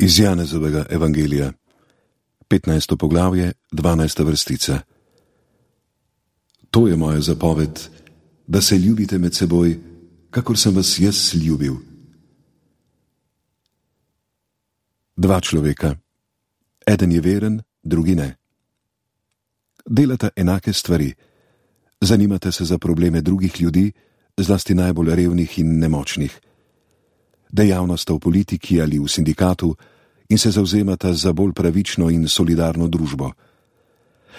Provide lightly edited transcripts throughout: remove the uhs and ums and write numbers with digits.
Iz Janezovega evangelija, 15. poglavje, 12. vrstica. To je moja zapoved, da se ljubite med seboj, kakor sem vas jaz ljubil. Dva človeka. Eden je veren, drugi ne. Delata enake stvari. Zanimate se za probleme drugih ljudi, zlasti najbolj revnih in nemočnih. Dejavna sta v politiki ali v sindikatu in se zavzemata za bolj pravično in solidarno družbo.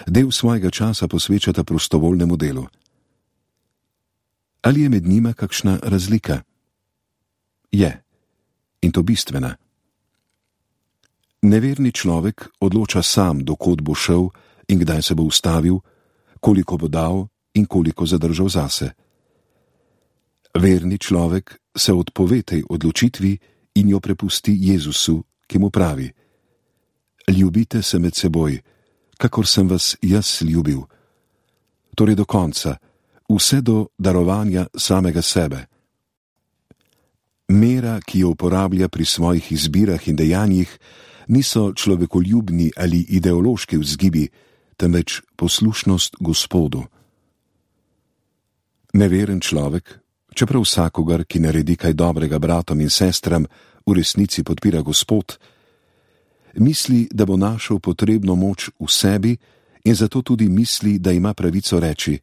Del svojega časa posvečata prostovoljnemu delu. Ali je med njima kakšna razlika? Je. In to bistvena. Neverni človek odloča sam, do kod bo šel in kdaj se bo ustavil, koliko bo dal in koliko zadržal zase. Verni človek se odpove tej odločitvi in jo prepusti Jezusu, ki mu pravi: Ljubite se med seboj, kakor sem vas jaz ljubil. Torej do konca, vse do darovanja samega sebe. Mera, ki jo uporablja pri svojih izbirah in dejanjih, niso človekoljubni ali ideološki vzgibi, temveč poslušnost Gospodu. Neveren človek, čeprav vsakogar, ki naredi kaj dobrega bratom in sestram, v resnici podpira Gospod, misli, da bo našel potrebno moč v sebi in zato tudi misli, da ima pravico reči: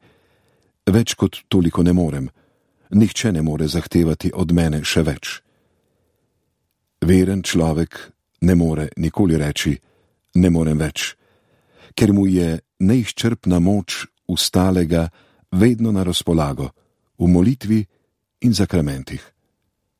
več kot toliko ne morem, nihče ne more zahtevati od mene še več. Veren človek ne more nikoli reči: ne morem več, ker mu je neizčrpna moč ustalega vedno na razpolago, v molitvi in zakramentih.